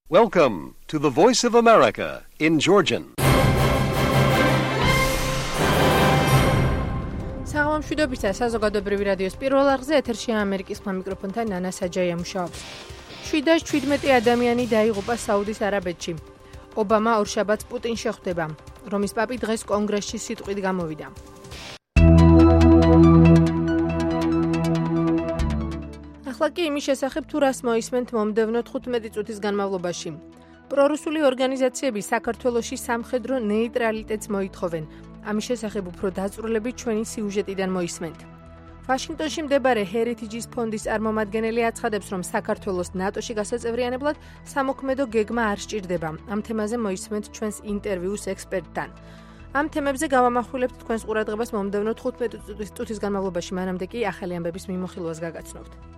Welcome to the Voice of America in Georgian. საღამომშვიდობისა საზოგადოებრივი რადიოს პირველ არხზე ეთერშია ამერიკის ხმა მიკროფონთან ნანა საჯაია მუშაობს. 717 ადამიანი დაიღუპა საუდის არაბეთში. ობამა ორშაბათს პუტინს შეხვდება. რომის პაპი დღეს კონგრესში სიტყვით გამოვიდა. ახლა კი იმის შესახებ თუ რას მოისმენთ მომდევნო 15 წუთის განმავლობაში. პრორუსული ორგანიზაციები საქართველოში სამხედრო ნეიტრალიტეტს მოითხოვენ. ამის შესახებ უფრო დაწვრილებით ჩვენი სიუჟეტიდან მოისმენთ. ვაშინგტონში მდებარე ჰერიტიჯის ფონდის წარმომადგენელი აცხადებს, რომ საქართველოს ნატოში გასაწევრიანებლად სამოქმედო გეგმა არ სჭირდება. ამ თემაზე მოისმენთ ჩვენს ინტერვიუს ექსპერტთან. ამ თემებზე გავამახვილებთ თქვენს ყურადღებას მომდევნო 15 წუთის განმავლობაში, მანამდე კი ახალი ამბების მიმოხილვას გაგაცნობთ.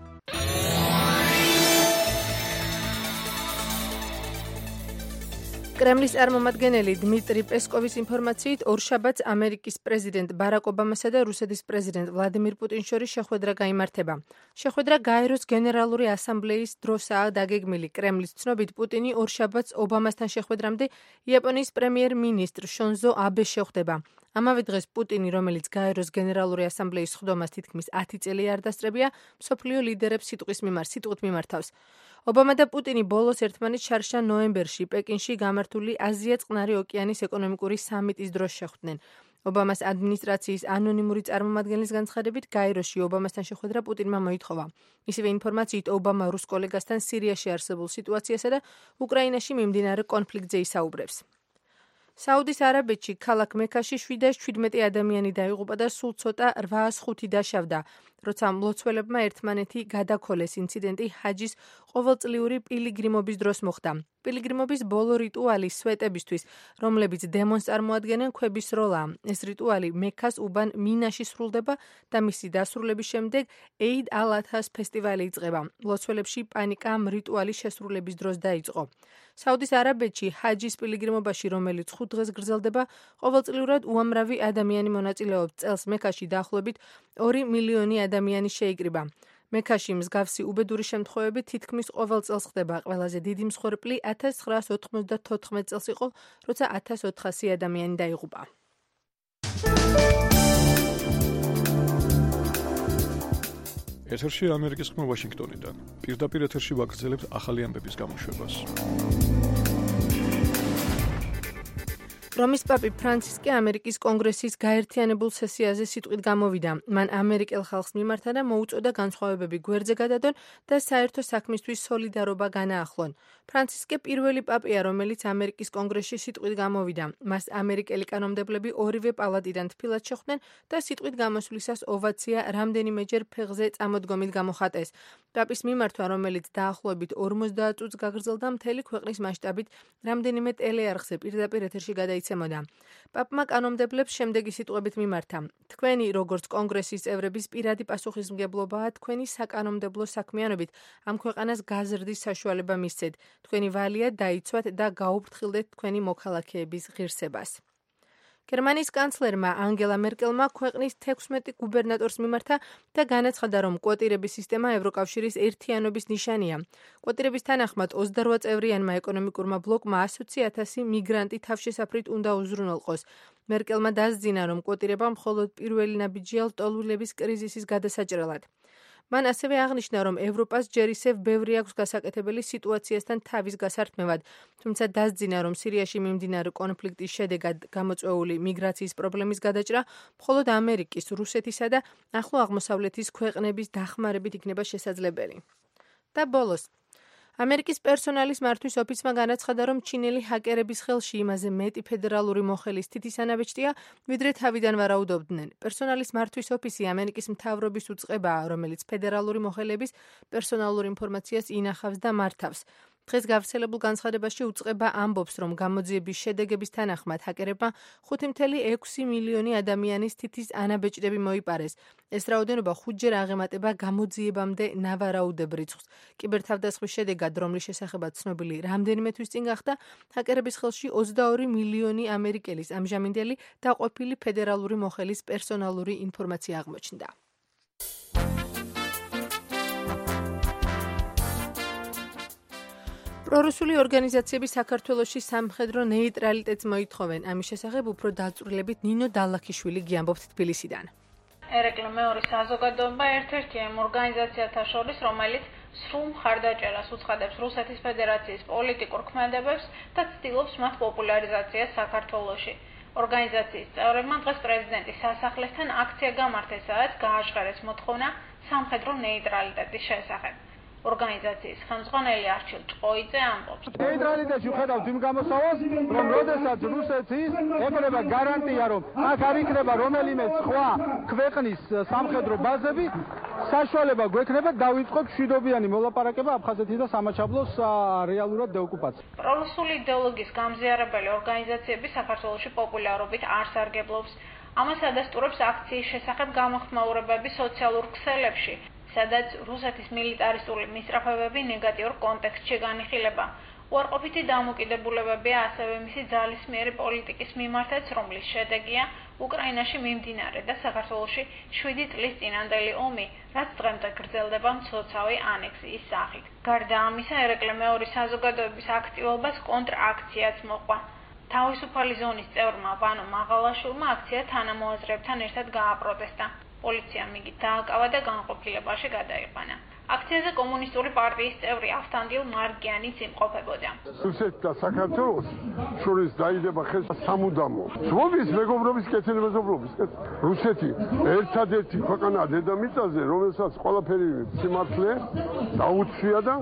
კრემლის წარმომადგენელი დმიტრი პესკოვის ინფორმაციით ორშაბათს ამერიკის პრეზიდენტ ბარაკ ობამასა და რუსეთის პრეზიდენტ ვლადიმირ პუტინის შორის შეხვედრა გაიმართება. შეხვედრა გაეროს გენერალური ასამბლეის დროსაა დაგეგმილი. კრემლის ცნობით პუტინი ორშაბათს ობამასთან შეხვედრამდე იაპონიის პრემიერ-მინისტრ შონზო აბეს შეხვდება. ამავე დღეს პუტინი, რომელიც გაეროს გენერალური ასამბლეის სხდომას თითქმის 10 წელი არ დასწრებია, მსოფლიო ლიდერებს სიტყვით მიმართავს. ობამა და პუტინი ბოლოს ერთმანეთს შარშა ნოემბერში პეკინში გამართული აზია-წყნარი ოკეანის ეკონომიკური სამიტის დროს შეხვდნენ. ობამას ადმინისტრაციის ანონიმური წარმომადგენლის განცხადებით, გაეროში ობამასთან შეხვედრა პუტინმა მოითხოვა. ისევე ინფორმაციით, ობამა რუს კოლეგასთან სირიაში არსებულ სიტუაციასა და უკრაინაში მიმდინარე კონფლიქტზე ისაუბრებს. საუდის არაბეთში ქალაქ მექაში 717 ადამიანი დაიღუპა და სულ ცოტა 805 დაშავდა, როცა მლოცველებმა ერთმანეთი გადაქოლეს. ინციდენტი ჰაჯის ყოველწლიური პილიგრიმობის დროს მოხდა. პილიგრიმობის ბოლო რიტუალი სვეტებისთვის, რომლებიც დემონს წარმოადგენენ, ქვების როლაა. ეს რიტუალი მექას უბან მინაში სრულდება და მისი დასრულების შემდეგ ეიდ ალ-ადჰას ფესტივალი იწყება. მლოცველებში პანიკა ამ რიტუალის შესრულების დროს დაიწყო. საუდის არაბეთში ჰაჯის პილიგრიმობაში, რომელიც 5 დღეს გრძელდება, ყოველწლიურად უამრავი ადამიანი მონაწილეობს. წელს მექაში დაახლოებით 2 მილიონი ადამიანი შეიკრიბა. მექაში მსგავსი უბედური შემთხვევები თითქმის ყოველ წელს ხდება. ყველაზე დიდი მსხვერპლი 1994 წელს იყო, როცა 1400 ადამიანი დაიღუპა. ეთერში ამერიკის ხმა ვაშინგტონიდან. პირდაპირ ეთერში ვაგრძელებთ ახალი ამბების გამოშვებას. რომის პაპი ფრანცისკე ამერიკის კონგრესის გაერთიანებულ სესიაზე სიტყვით გამოვიდა. მან ამერიკელ ხალხს მიმართა და მოუწოდა განსხვავებები გვერდზე გადადონ და საერთო საქმისთვის სოლიდარობა განაახლონ. ფრანცისკე პირველი პაპია, რომელიც ამერიკის კონგრესში სიტყვით გამოვიდა. მას ამერიკელი კანონმდებლები ორივე პალატიდან თბილად შეხვდნენ და სიტყვით გამოსვლისას ოვაცია რამდენიმეჯერ ფეხზე წამოდგომით გამოხატეს. პაპის მიმართვა, რომელიც დაახლოებით 50 წუთს გაგრძელდა, მთელი ქვეყნის მასშტაბით რამდენიმე ტელეარხზე პირდაპირ ეთერში გადაიცემოდა. პაპმა კანონმდებლებს შემდეგი სიტყვებით მიმართა: თქვენი, როგორც კონგრესის წევრების პირადი პასუხისმგებლობაა თქვენი საკანონმდებლო საქმიანობით ამ ქვეყანას გაზრდის საშუალება მისცეთ. თქვენი ვალია დაიცვათ და გაუფრთხილდეთ თქვენი მოქალაქეების ღირსებას. გერმანიის კანცლერმა ანგელა მერკელმა ქვეყნის 16 გუბერნატორს მიმართა და განაცხადა, რომ კვოტირების სისტემა ევროკავშირის ერთიანობის ნიშანია. კვოტირების თანახმად 28 წევრიანმა ეკონომიკურმა ბლოკმა 100,000 მიგრანტი თავშესაფრით უნდა უზრუნველყოს. მერკელმა დასძინა, რომ კვოტირება მხოლოდ პირველი ნაბიჯია ლტოლვილების კრიზისის გადასაჭრელად. მან ასევე აღნიშნა, რომ ევროპას ჯერ ისევ ბევრი აქვს გასაკეთებელი სიტუაციასთან თავის გასართმევად, თუმცა დასძინა, რომ სირიაში მიმდინარე კონფლიქტის შედეგად გამოწვეული მიგრაციის პრობლემის გადაჭრა მხოლოდ ამერიკის, რუსეთისა და ახლო აღმოსავლეთის ქვეყნების დახმარებით იქნება შესაძლებელი. და ბოლოს, ამერიკის პერსონალის მართვის ოფისმა განაცხადა, რომ ჩინელი ჰაკერების ხელში იმაზე მეტი ფედერალური მოხელის თითის ანაბეჭდია, ვიდრე თავიდან ვარაუდობდნენ. პერსონალის მართვის ოფისი ამერიკის მთავრობის უწყებაა, რომელიც ფედერალური მოხელების პერსონალურ ინფორმაციას ინახავს და მართავს. დღეს გავრცელებულ განცხადებაში უწყება ამბობს, რომ გამოძიების შედეგების თანახმად ჰაკერებმა 5.6 მილიონი ადამიანის თითის ანაბეჭდები მოიპარეს. ეს რაოდენობა 5-ჯერ აღემატება გამოძიებამდე ნავარაუდებ რიცხვს. კიბერთავდასხმის შედეგად, რომლის შესახებაც ცნობილი რამდენიმე თვის წინ გახდა, ჰაკერების ხელში 22 მილიონი ამერიკელის ამჟამინდელი და ყოფილი ფედერალური მოხელის პერსონალური ინფორმაცია აღმოჩნდა. პრორუსული ორგანიზაციები საქართველოში სამხედრო ნეიტრალიტეტს მოითხოვენ. ამის შესახებ უფრო დაწვრილებით ნინო დალაქიშვილი გიამბობთ თბილისიდან. ერეკლე მეორე საზოგადოება ერთ-ერთია იმ ორგანიზაციათა შორის, რომელიც სრულ მხარდაჭერას უცხადებს რუსეთის ფედერაციის პოლიტიკურ ქმედებებს და ცდილობს მათ პოპულარიზაციას საქართველოში. ორგანიზაციის წევრებმა დღეს პრეზიდენტის სასახლესთან აქცია გამართეს, სადაც გააჟღერეს მოთხოვნა სამხედრო ნეიტრალიტეტის შესახებ. ორგანიზაციის ხელმძღვანელი არჩილ ჭყოიძე ამბობს. ნეიტრალიტეტში ვხედავთ იმ გამოსავალს, რომ როდესაც რუსეთის ექნება გარანტია, რომ აქ არ იქნება რომელიმე სხვა ქვეყნის სამხედრო ბაზები, საშუალება გვექნება დავიწყოთ მშვიდობიანი მოლაპარაკება აფხაზეთის და სამაჩაბლოს რეალურად დეოკუპაციას. პრორუსული იდეოლოგიის გამზიარებელი ორგანიზაციები საქართველოში პოპულარობით არ სარგებლობს. ამას ადასტურებს აქციის შესახებ გამოხმაურებები სოციალურ ქსელებში, სადაც რუსეთის მილიტარისტული მისწრაფებები ნეგატიურ კონტექსტში განიხილება. უარყოფითი დამოკიდებულებებია ასევე მისი ძალისმიერი პოლიტიკის მიმართაც, რომლის შედეგია უკრაინაში მიმდინარე და საქართველოში 7 წლის წინანდელი ომი, რაც დღემდე გრძელდება მცოცავი ანექსიის სახით. გარდა ამისა, ერეკლე მეორე საზოგადოების აქტივობას კონტრაქციაც მოყვა. თავისუფალი ზონის წევრმა ვანო მაღალაშვილმა აქცია თანამოაზრეებთან ერთად გააპროტესტა. პოლიციამ იგი დააკავა და განყოფილებაში გადაიყვანა. აქციაზე კომუნისტური პარტიის წევრი ავთანდილ მარგიანიც იმყოფებოდა. რუსეთს და საქართველოს შორის დაიდება ხეს სამუდამო. ზღობის მეგობრობის კეთილი მეზობლობის. რუსეთი ერთადერთი ქვეყანაა დედამიწაზე, რომელსაც ყველაფერი სიმართლე დაუცვია და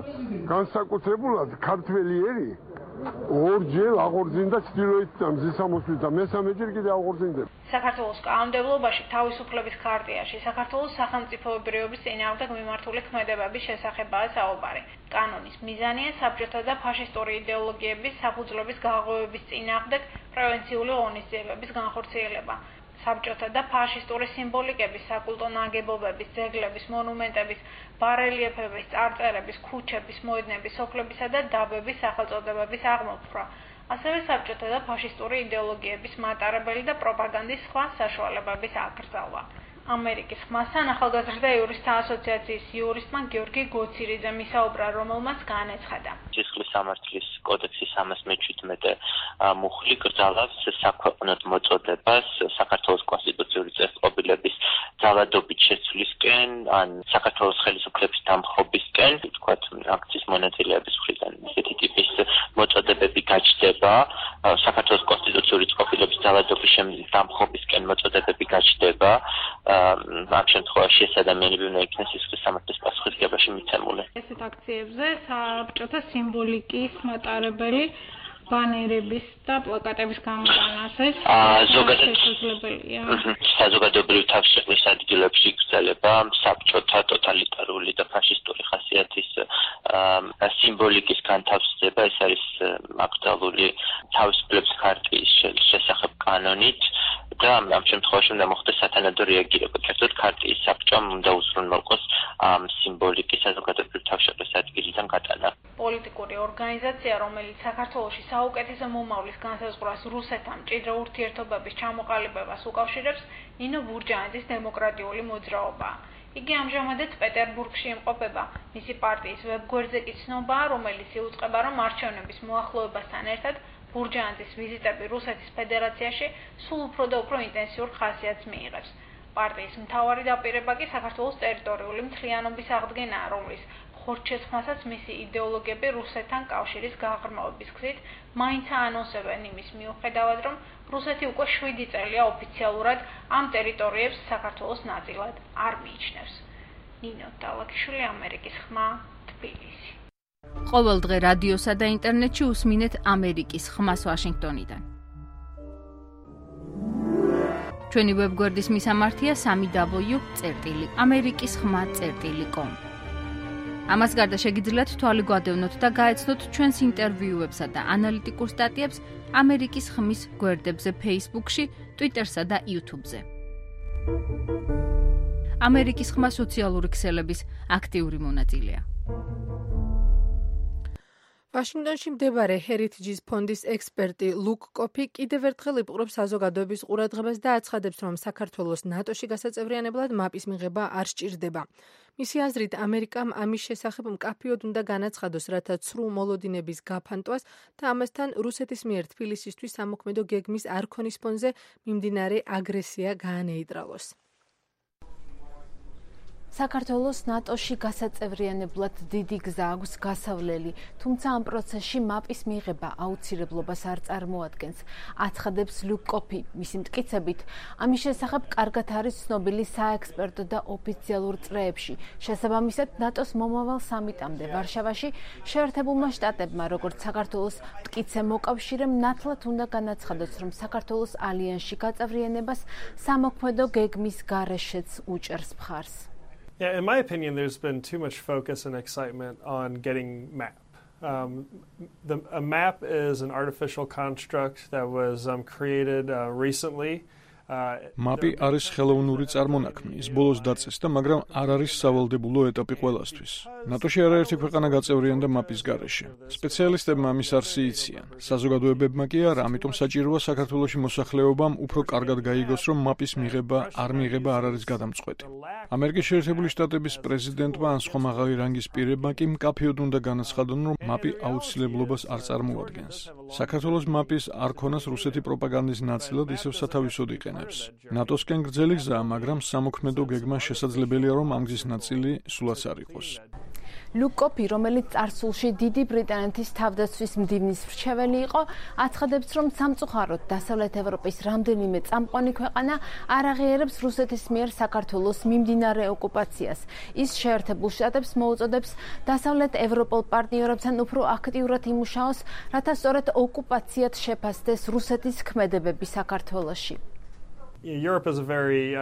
განსაკუთრებულად ქართველი ერი ორჯერ აღორძინდა ჩრდილოეთ და მზის ამოსვლით და მესამეჯერ კიდე აღორძინდება. საქართველოს კანონმდებლობაში თავისუფლების ხარტიაში საქართველოს სახელმწიფოებრიობის წინააღმდეგ მიმართული ქმედებების შესახებაა საუბარი. კანონის მიზანია საბჭოთა და ფაშისტური იდეოლოგიების საფუძვლების გაღვივების წინააღმდეგ პრევენციული ღონისძიებების განხორციელება. საბჭოთა და ფაშისტური სიმბოლიკების, საკულტო ნაგებობების, ძეგლების, მონუმენტების, ბარელიეფების, წარწერების, ქუჩების, მოედნების, სოფლებისა და დაბების სახელწოდებების აღმოფხვრა. ასევე საბჭოთა და ფაშისტური იდეოლოგიების მატარებელი და პროპაგანდის სხვა საშუალებების აკრძალვა. ამერიკის ხმასთან ახალგაზრდა იურისტთა ასოციაციის იურისტმა გიორგი გოცირიძემ ისაუბრა, რომელმაც განეცხადა. სისხლის სამართლის კოდექსის 317 მუხლი კრძალავს საქვეყნოდ მოწოდებას საქართველოს კონსტიტუციური წერტყობილების ძალადობით შეცვლისკენ, ან საქართველოს ხელისუფლების დამხობისკენ, თქვათ აქციის მონაწილეების მხრიდან ესეთი ტიპის მოწოდებები გაჩნდება, საქართველოს კონსტიტუციური წერტყობილების ძალადობის დამხობისკენ მოწოდებები გაჩნდება. ამ შემთხვევაში ეს ადამიანები უნდა იქნეს სისხლის სამართლის პასუხისმგებაში მიცემული. ესეთ აქციებზე საბჭოთა სიმბოლიკის მატარებელი ბანერების და პლაკატების გამოტანასაც ზოგადად შესაძლებელია. საზოგადოებრივი თავშეყრის ადგილებში იგრძელება საბჭოთა ტოტალიტარული და ფაშისტური ხასიათის სიმბოლიკის განთავსება. ეს არის აკრძალული თავისუფლების ხარტიის შესახებ კანონით და ამ შემთხვევაში უნდა მოხდეს სათანადო რეაგირება. კერძოდ ქარტიის საბჭომ უნდა უზრუნველყოს ამ სიმბოლიკის საზოგადოებრივი თავშეყრის ადგილიდან გატანა. პოლიტიკური ორგანიზაცია, რომელიც საქართველოში საუკეთესო მომავლის განსაზღვრას რუსეთთან მჭიდრო ურთიერთობების ჩამოყალიბებას უკავშირებს, ნინო ბურჯანიძის დემოკრატიული მოძრაობა. იგი ამჟამადაც პეტერბურგში იმყოფება. მისი პარტიის ვებგვერდზე კი ცნობაა, რომელიც იუწყება, რომ არჩევნების მოახლოებასთან ერთად ბურჯანიძის ვიზიტები რუსეთის ფედერაციაში სულ უფრო და უფრო ინტენსიურ ხასიათს მიიღებს. პარტიის მთავარი დაპირება კი საქართველოს ტერიტორიული მთლიანობის აღდგენაა, რომლის ხორჩეცხვასაც მისი იდეოლოგები რუსეთთან კავშირის გაღრმავების გზით მაინც აანონსებენ იმის მიუხედავად, რომ რუსეთი უკვე 7 წელია ოფიციალურად ამ ტერიტორიებს საქართველოს ნაწილად არ მიიჩნევს. ნინო დალაქიშვილი, ამერიკის ხმა, თბილისი. ყოველ დღე რადიოსა და ინტერნეტში უსმინეთ ამერიკის ხმას ვაშინგტონიდან. ჩვენი ვებგვერდის მისამართია www.amerikiskhma.com. ამას გარდა შეგიძლიათ თვალი გვადევნოთ და გაეცნოთ ჩვენს ინტერვიუებსა და ანალიტიკურ სტატიებს ამერიკის ხმის გვერდებზე Facebook-ში, Twitter-სა და YouTube-ზე. ამერიკის ხმა სოციალური ქსელების აქტიური მონაწილეა. ვაშინგტონში მდებარე Heritage ფონდის ექსპერტი ლუკ კოფი კიდევ ერთხელ იპყრობს საზოგადოების ყურადღებას და აცხადებს, რომ საქართველოს ნატოში გასაწევრიანებლად მაპის მიღება არ სჭირდება. მისი აზრით, ამერიკამ ამის შესახებ მკაფიოდ უნდა განაცხადოს, რათა ცრუ მოლოდინების გაფანტვას და ამასთან რუსეთის მიერ თბილისისთვის სამოქმედო გეგმის არ ქონის ფონზე მიმდინარე აგრესია გაანეიტრალოს. საქართველოს ნატოში გასაწევრიანებლად დიდი გზა აქვს გასავლელი, თუმცა ამ პროცესში მაპის მიღება აუცილებლობას არ წარმოადგენს, აცხადებს ლუკ კოფი. მისი მტკიცებით, ამის შესახებ კარგად არის ცნობილი საექსპერტო და ოფიციალურ წრეებში. შესაბამისად, ნატოს მომავალ სამიტამდე ვარშავაში შეერთებულმა შტატებმა, როგორც საქართველოს მტკიცე მოკავშირემ, ნათლად უნდა განაცხადოს, რომ საქართველოს ალიანსში გაწევრიანებას სამოქმედო გეგმის გარეშეც უჭერს მხარს. Yeah, in my opinion, there's been too much focus and excitement on getting MAP. A MAP is an artificial construct that was created recently. MAP-ი არის ხელოვნური წარმონაქმნი, ის ბოლოს დაწეს და მაგრამ არ არის სავალდებულო ეტაპი ყველასთვის. ნატოში არაერთი ქვეყანა გაწევრიანდა MAP-ის გარეშე. სპეციალისტებმა ამის არსი იციან. საზოგადოებებმა კი არა, ამიტომ საჭიროა საქართველოში მოსახლეობამ უფრო კარგად გაიგოს, რომ MAP-ის მიღება არ არის გადამწყვეტი. ამერიკის შეერთებული შტატების პრეზიდენტმა ან სხვა მაღალი რანგის პირებმა კი მკაფიოდ უნდა განაცხადონ, რომ MAP-ი აუცილებლობას არ წარმოადგენს. საქართველოს MAP-ის არ ქონას რუსეთი პროპაგანდის ნაწილად ისევ სათავისოდ იყენებს. ნატოსკენ გრძელი გზაა, მაგრამ სამოქმედო გეგმა შესაძლებელია, რომ ამ გზის ნაწილი სულაც არ იყოს. ლუკ კოფი, რომელიც წარსულში დიდი ბრიტანეთის თავდაცვის მდივნის მრჩეველი იყო, აცხადებს, რომ სამწუხაროდ დასავლეთ ევროპის რამდენიმე წამყვანი ქვეყანა არ აღიარებს რუსეთის მიერ საქართველოს მიმდინარე ოკუპაციას. ის შეერთებულ შტატებს მოუწოდებს დასავლეთ ევროპელ პარტნიორებთან უფრო აქტიურად იმუშაოს, რათა სწორედ ოკუპაციად შეფასდეს რუსეთის ქმედებები საქართველოში. Europe is a very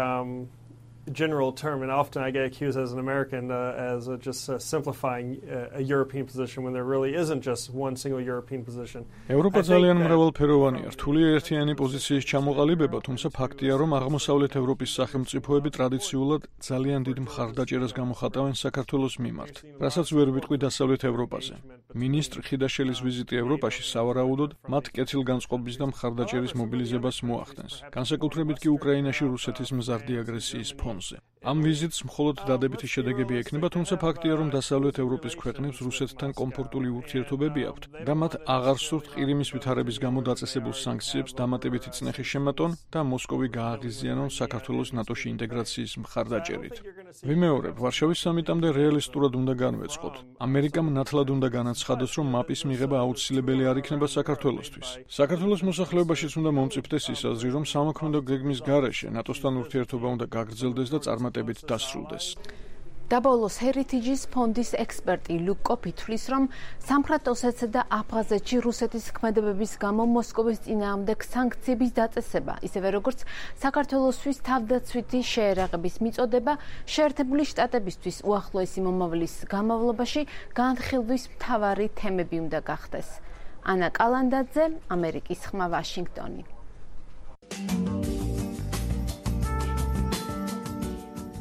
general term, and often I get accused as an American as just simplifying a European position when there really isn't just one single European position. ევროპა ძალიან მრავალფეროვანია, რთული ერთიანი პოზიციის ჩამოყალიბება, თუმცა ფაქტია, რომ აღმოსავლეთ ევროპის სახელმწიფოები ტრადიციულად ძალიან დიდ მხარდაჭერას გამოხატავენ საქართველოს მიმართ, რასაც ვერ ვიტყვი დასავლეთ ევროპაზე. მინისტრ ხიდაშელის ვიზიტი ევროპაში სავარაუდოდ მათ კეთილგანწყობის და მხარდაჭერის მობილიზებას მოახდენს. განსაკუთრებით კი უკრაინაში რუსეთის მზარდი აგრესიის ფონზე. ამ ვიზიტს მხოლოდ დადებითი შედეგები ექნება, თუმცა ფაქტია, რომ დასავლეთ ევროპის ქვეყნებს რუსეთთან კომფორტული ურთიერთობები აქვთ და მათ აღარ სურთ ყირიმის ვითარების გამო დაწესებულ სანქციებს დამატებითი წნეხი შემატონ და მოსკოვი გააღიზიანონ საქართველოს ნატოში ინტეგრაციის მხარდაჭერით. ვიმეორებ, ვარშავის სამიტამდე რეალისტურად უნდა განვეწყოთ. ამერიკამ ნათლად უნდა განაცხადოს, რომ MAP-ის მიღება აუცილებელი არ იქნება საქართველოსთვის. საქართველოს მოსახლეობაშიც უნდა მომწიფდეს ის აზრი, რომ სამოქმედო გეგმის გარეშე ნატოსთან ურთიერთობა უნდა გაგრძელდეს და წარმატებით დასრულდეს. დაბოლოს Heritage ფონდის ექსპერტი ლუკ კოფი თვლის, რომ სამხრეთ ოსეთსა და აფხაზეთში რუსეთის ქმედებების გამო მოსკოვის წინააღმდეგ სანქციების დაწესება, ისევე როგორც საქართველოსთვის თავდაცვითი შეერაღების მიწოდება შეერთებული შტატებისთვის უახლოესი მომავლის განმავლობაში განხილვის მთავარი თემები უნდა გახდეს. ანა კალანდაძე, ამერიკის ხმა, ვაშინგტონი.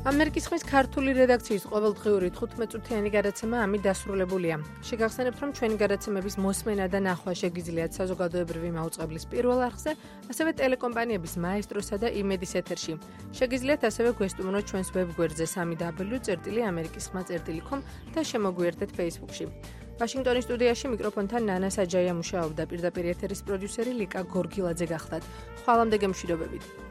ამერიკის ხმის ქართული რედაქციის ყოველდღიური 15 წუთიანი გადაცემა ამით დასრულებულია. შეგახსენებთ, რომ ჩვენი გადაცემების მოსმენა და ნახვა შეგიძლიათ საზოგადოებრივი მაუწყებლის პირველ არხზე, ასევე ტელეკომპანიების მაესტროსა და იმედის ეთერში. შეგიძლიათ ასევე გვესტუმროთ ჩვენს ვებგვერდზე www.amerikiskhma.com და შემოგვიერთდეთ Facebook-ში. ვაშინგტონის სტუდიაში მიკროფონთან ნანა საჯაია მუშაობდა, პირდაპირ ეთერის პროდიუსერი ლიკა გორგილაძე გახდათ. ხვალამდე გემშვიდობებით.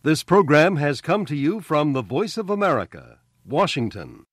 This program has come to you from the Voice of America, Washington.